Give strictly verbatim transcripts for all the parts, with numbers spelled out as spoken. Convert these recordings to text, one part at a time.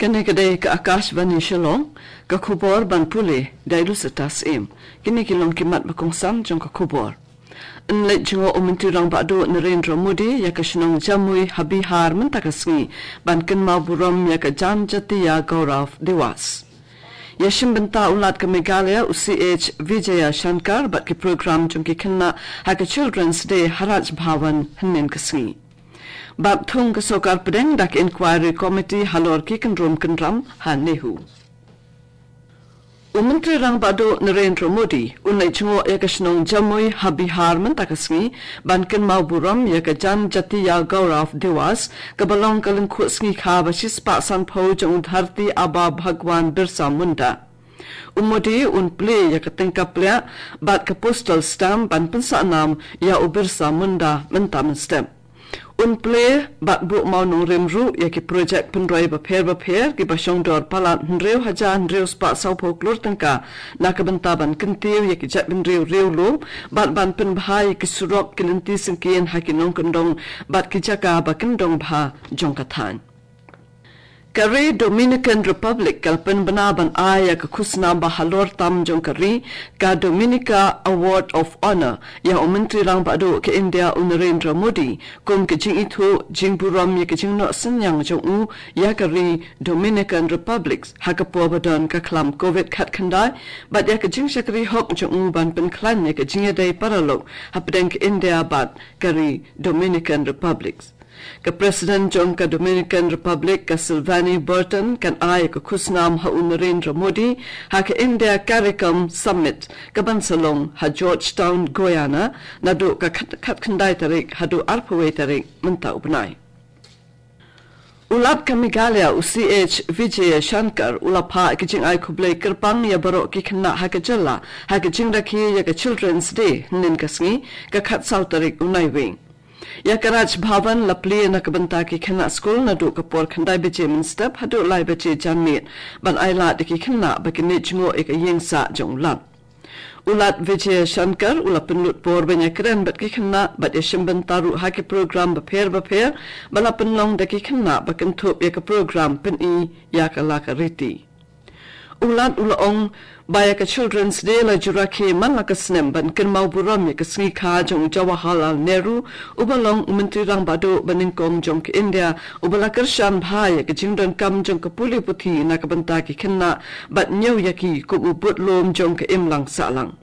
Kane ka dei ka Akashvani Shillong, ka khubor ban pule da i Lucetta Syiem. Kine ki long ki mat ba kongsan jong ka khubor. Yn leit jngoh u Myntri Rangbah Duh Narendra Modi ïa ka shnong Jamui ha Bihar mynta ka sngi ban kynmaw burom ïa ka Janjatiya Gaurav Diwas. Ïa shim bynta u Lat ka Meghalaya u C H Vijaya Shankar bad ki program jong ki khynnah ha ka Children's Day ha Raj Bhavan hynnin ka sngi. Bad thung ka Sorkar Pdeng da ka Inquiry Committee halor ki kyndrum kyndram ha NEHU. U Myntri Rangbah Duh Narendra Modi un leit jngoh ïa ka shnong Jamui ha Bihar mynta ka sngi ban kynmaw burom ïa ka Janjatiya Gaurav Diwas, kaba long ka lyngkhuh sngi kha ba shispah sanphew jong u Dharti Aaba Bhagwan Birsa Munda. U Modi un plie ïa ka tyngka pliah bad ka postal stamp ban pynsah nam ïa u Birsa Munda mynta mynstep. Un plie bad buh mawnongrim ruh ïa ki projek pynroi bapher bapher kiba shongdor palat hynriew hajar hynriew spah sawphew klur tyngka na ka bynta ban kyntiew ïa ki jaitbynriew riewlum bad ban pynbha ïa ki surok, ki lynti syngkien ha ki nongkyndong bad ki jaka ba kyndong bha jong ka thaiñ. Ka ri Dominican Republic ka la pynbna ban ai ïa ka khusnam ba halor tam jong ka ri, ka Dominica Award of Honor, ïa u Myntri Rangbah Duh ka India u Narendra Modi, kum ka jingithuh jingburom ïa ka jingnoh synñiang jong u ïa ka ri Dominican Republic ha ka por ba don ka khlam Covid khatkhyndai, bad ïa ka jingshakri hok jong u ban pynkhlaiñ ïa ka jingïadei paralok hapdeng ka India bad ka ri Dominican Republic. Ka President jong ka Dominican Republic, ka Sylvanie Burton, kan ai ka khusnam ha u Narendra Modi ha ka India CARICOM Summit kaban sa long ha Georgetown, Guyana, naduh ka khat-, khatkhyndai tarik haduh arphew wei tarik mynta u bnai. U Lat ka Meghalaya u C H Vijaya Shankar u la phah ka jingai khublei kyrpang ïa baroh ki khynnah ha ka jylla ha ka jingrakhe ïa ka Children's Day hynnin ka sngi, ka khatsaw tarik u Naiwieng. Ïa ka Raj Bhavan la plie na ka bynta ki khynnah skul naduh ka por khyndai baje mynstep haduh lai baje janmiet ban ai lad ïa ki khynnah ba kin leit jngoh ïa ka ïing sah jong u Lat. U Lat Vijay Shankar u la pynlut por ban ïakren bad ki khynnah bad ïashim bynta ruh ha ki program bapher bapher ba la pynlong da ki khynnah ba kynthup ïa ka program pyni ïa ka la ka riti. U Lat u la ong ba ïa ka Children's Day la ju rakhe man la ka snem ban kynmaw burom ïa ka sngi kha jong u Jawaharlal Nehru, uba long u Myntri Rangbah Duh banyngkong jong ka India, uba la kyrshan bha ïa ka jingdonkam jong ka pule puthi na ka bynta ki khynnah bad ñiew ïa ki kum u budlum jong ka imlang sahlang.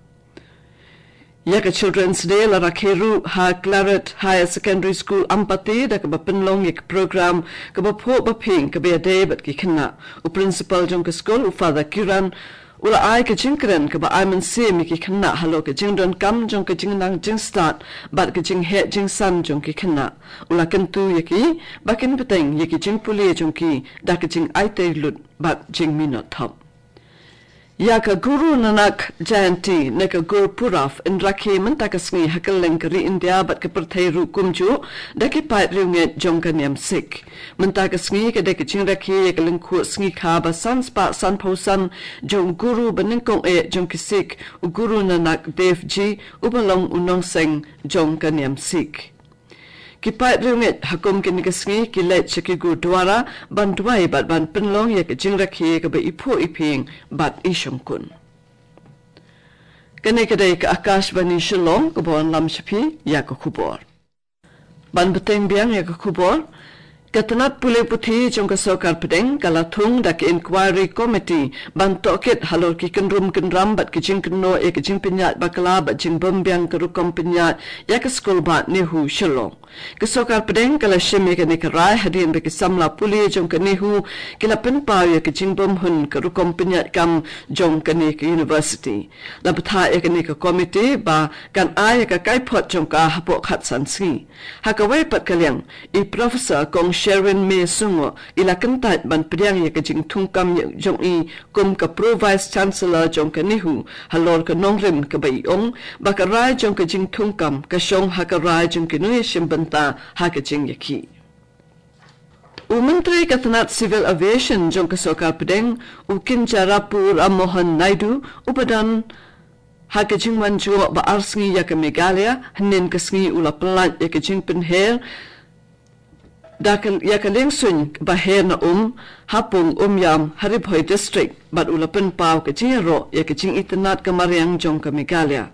Ïa ka Children's Day la rakhe ruh ha Claret Higher Secondary School Ampati da kaba pynlong ïa ka program kaba phuh ba phin kaba ïadei bad ki khynnah. U principal jong ka skul, u Father Kiran, u la ai ka jingkren kaba ai mynsiem ïa ki khynnah halor ka jingdonkam jong ka jingnang jingstad bad ka jingheh jingsan jong ki khynnah. U la kyntu ïa ki ba kin bteng ïa ki jingpule jong ki da ka jingaitei lut bad jingminot thop. Ïa ka Guru Nanak Jayanti ne ka Gurpurab yn rakhe mynta ka sngi ha kylleng ka ri India bad ka pyrthei ruh kumjuh da ki paid riewngeit jong ka niam Sikh. Mynta ka sngi ka dei ka jingrakhe ïa ka lyngkhuh sngi kha ba san spah sanphew san jong u guru banyngkong eh jong ki Sikh, u Guru Nanak Dev Ji, uba long u nongseng jong ka niam Sikh. Ki paid riewngeit ha kum kine ki sngi ki leit sha ki gurdwara ban duwai bad ban pynlong ïa ka jingrakhe kaba i phuh i phieng bad i shongkun. Kane ka dei ka Akashvani Shillong kaba wanlam sha phi ïa ka khubor. Ban bteng biang ïa ka khubor, ka tnat pule puthi jong ka Sorkar Pdeng ka la thung da ka Inquiry Committee ban tohkit halor ki kyndrum kyndram bad ki jingkynnoh ïa ka jingpynïaid bakla bad jingbymbiang ka rukom pynïaid ïa ka skul bah NEHU Shillong. Ka Sorkar Pdeng ka la shim ïa kane ka rai hadien ba ki samla pule jong ka NEHU ki la pynpaw ïa ka jingbymhun ka rukom pynïaid kam jong kane ka university. La bthah ïa kane ka komiti ba kan ai ïa ka kaiphod jong ka hapoh khatsan sngi. Ha kawei pat ka liang, i Professor Kong Sherwin May Sungoh i la kyntait ban pdiang ïa ka jingthungkam jong i kum ka Pro Vice Chancellor jong ka NEHU halor ka nongrim kaba i ong ba ka rai jong ka jingthungkam ka shong ha ka rai jong ki nongïashim bynta ha ka jingïakhih. U Myntri ka tnat Civil Aviation jong ka Sorkar Pdeng, u Kinjarapu Ram Mohan Naidu, uba don ha ka jingwan jngoh ba ar sngi ïa ka Meghalaya, hynnin ka sngi u la pyllait ïa ka jingpynher Da ka, ïa ka liengsuiñ ba her na um, ha pung Umiam, ha Ri Bhoi District, bad u la pynpaw ka jingïaroh ïa ka jingitynnad ka mariang jong ka Meghalaya.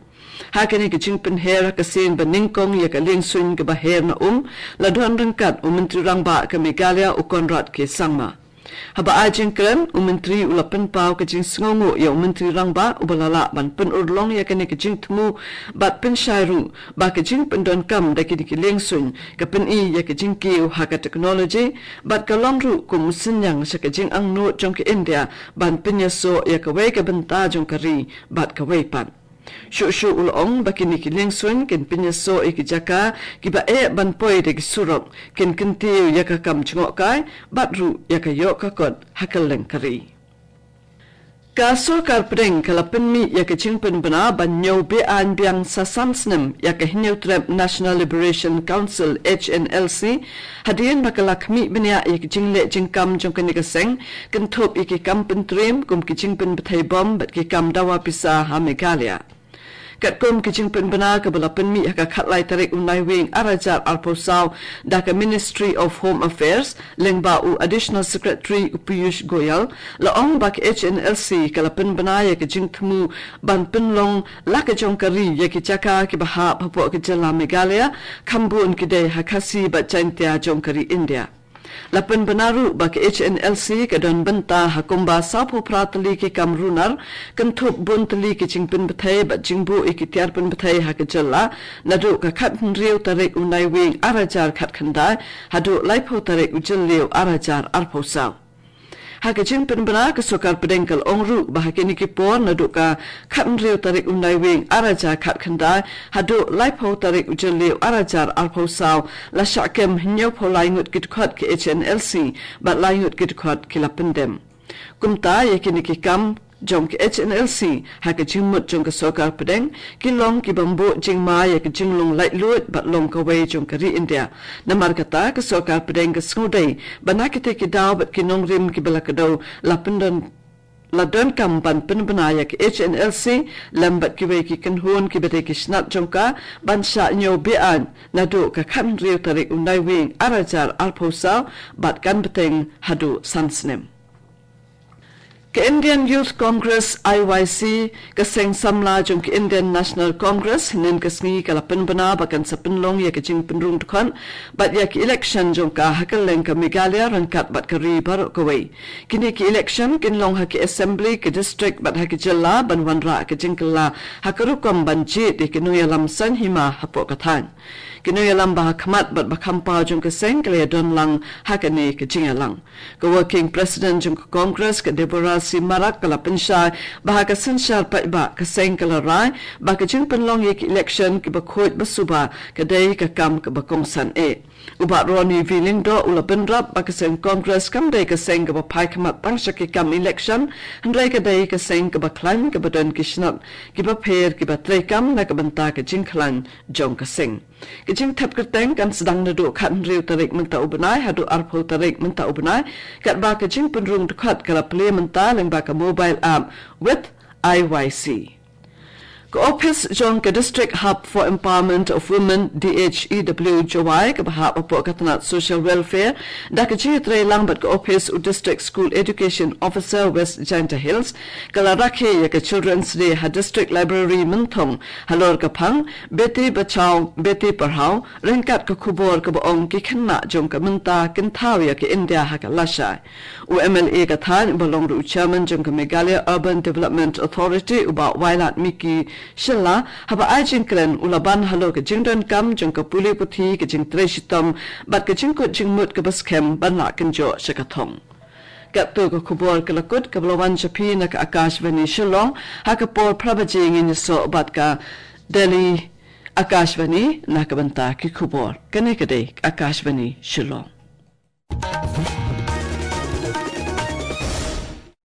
Ha kane ka jingpynher ha ka sien ba nyngkong ïa ka liengsuiñ kaba her na um, la don ryngkat u Myntri Rangbah ka Meghalaya u Conrad K Sangma. Haba ai jingkren, u Myntri u la pynpaw ka jingsngewnguh ïa u Myntri Rangbah uba la lah ban pynurlong ïa kane ka jingthmu bad pynshai ruh ba ka jingpyndonkam da kine ki liengsuiñ ka pyni ïa ka jingkiew ha ka technology bad ka long ruh kum u synñiang sha ka jingangnud jong ka India ban pynïasoh ïa kawei ka bynta jong ka ri bad kawei pat. Shuh shuh u la ong ba kine ki liengsuiñ kin pynïasoh ïa ki jaka kiba eh ban poi da ki surok, kin kyntiew ïa ka kam jngohkai bad ruh ïa ka ïoh ka kot ha kylleng ka ri. Ka Sorkar Pdeng ka la pynmih ïa ka jingpynbna ban ñiew be-aiñ biang sa san snem ïa ka Hynñiewtrep National Liberation Council, H N L C, hadien ba ka la khmih bniah ïa ka jingleh jingkam jong kane ka seng, kynthup ïa ki kam pyntriem kum ki jingpynbthei bom bad ki kam dawa pisa ha Meghalaya. Katkum ka jingpynbna kaba la pynmih ha ka khatlai tarik u Naiwieng ar hajar arphew saw da ka Ministry of Home Affairs, lyngba u Additional Secretary u Piyush Goyal, la ong ba ka H N L C ka la pynbna ïa ka jingthmu ban pynlong la ka jong ka ri ïa ki jaka kiba hap hapoh ka jylla Meghalaya, kham bun ki dei ha Khasi bad Jaintia jong ka ri India. La pynbna ruh ba ka H N L C ka don bynta ha kumba sawphew phra tylli ki kam runar, kynthup bun tylli ki jingpynbthei bad jingbuh ïa ki tiar pynbthei ha ka jylla, naduh ka khathynriew tarik u Naiwieng ar hajar khatkhyndai, haduh laiphew tarik u Jylliew ar hajar arphew saw. Ha ka jingpynbna ka Sorkar Pdeng ka la ong ruh ba ha kine ki por naduh ka khathynriew tarik u Naiwieng ar hajar khatkhyndai, haduh laiphew tarik u Jylliew ar hajar arphew saw, la shah kem hynñiewphew lai ngut ki dkhot ka H N L C, bad lai ngut ki dkhot ki la pyndem. Kumta ïa kine ki kam jong ka H N L C ha ka jingmut jong ka Sorkar Pdeng, ki long kiba buh jingma ïa ka jinglong laitluid bad long kawei jong ka ri India. Namar kata ka Sorkar Pdeng ka sngewdei ba na kita ki daw bad ki nongrim kiba la kdew la pyndon la donkam ban pynbna ïa ka H N L C lem bad kiwei ki kynhun kiba dei ki snat jong ka ban shah ñiew be-aiñ naduh ka khathynriew tarik u Naiwieng ar hajar arphew saw bad kan bteng haduh san snem. Ka Indian Youth Congress, I Y C, ka seng samla jong ka Indian National Congress, hynnin ka sngi ka la pynbna ba kan sa pynlong ïa ka jingpynrung dkhot bad ïa ka election jong ka ha kylleng ka Meghalaya ryngkat bad ka ri baroh kawei. Kine ki election kin long ha ki assembly, ki district bad ha ki jylla ban wanrah ka jingkylla ha ka rukom ban jied ïa ki nongïalam saiñ hima hapoh ka thaiñ. Ki nongïalam ba ha khmat bad ba kham paw jong ka seng ki la ïadon lang ha kane ka jingïalang. Ka Working President jong ka Congress, ka Deborah C Marak, ka la pynshai ba ha ka synshar paidbah ka seng ka la rai ba ka jingpynlong ïa ki election kiba khuid ba suba ka dei ka kam kaba kongsan eh. U Bah Ronnie V Lyngdoh u la bynrap ba ka seng Congress kam dei ka seng kaba phai khmat tang sha ki kam election, hynrei ka dei ka seng kaba khlaiñ kaba don ki snat kiba pher kiba treikam na ka bynta ka jingkhlaiñ jong ka seng. Ka jingthep kyrteng kan sdang naduh khathynriew tarik mynta u bnai haduh arphew tarik mynta u bnai, katba ka jingpynrung dkhot ka la plie mynta lyngba ka mobile app with I Y C. Ka ophis jong ka District Hub for Empowerment of Women, D H E W, Jowai, kaba hap hapoh ka tnat Social Welfare, da ka jingïatreilang bad ka ophis u District School Education Officer West Jaintia Hills, ka la rakhe ïa ka Children's Day ha District Library Mynthong, halor ka phang Beti Bachao Beti Padhao, ryngkat ka khubor kaba ong ki khynnah jong ka mynta kin thaw ïa ka India ha ka lashai. U M L A ka thaiñ uba long ruh u chairman jong ka Meghalaya Urban Development Authority, u Bah Wailadmiki Shylla, haba ai jingkren u la ban halor ka jingdonkam jong ka pule puthi, ka jingtrei shitom bad ka jingkut jingmut kaba skhem ban lah kynjoh sha ka thong. Katto ka khubor ka la kut kaba la wan sha phi na ka Akashvani Shillong, ha ka por phra baje ngin ïasoh bad ka Delhi Akashvani na ka bynta ki khubor. Kane ka dei Akashvani Shillong.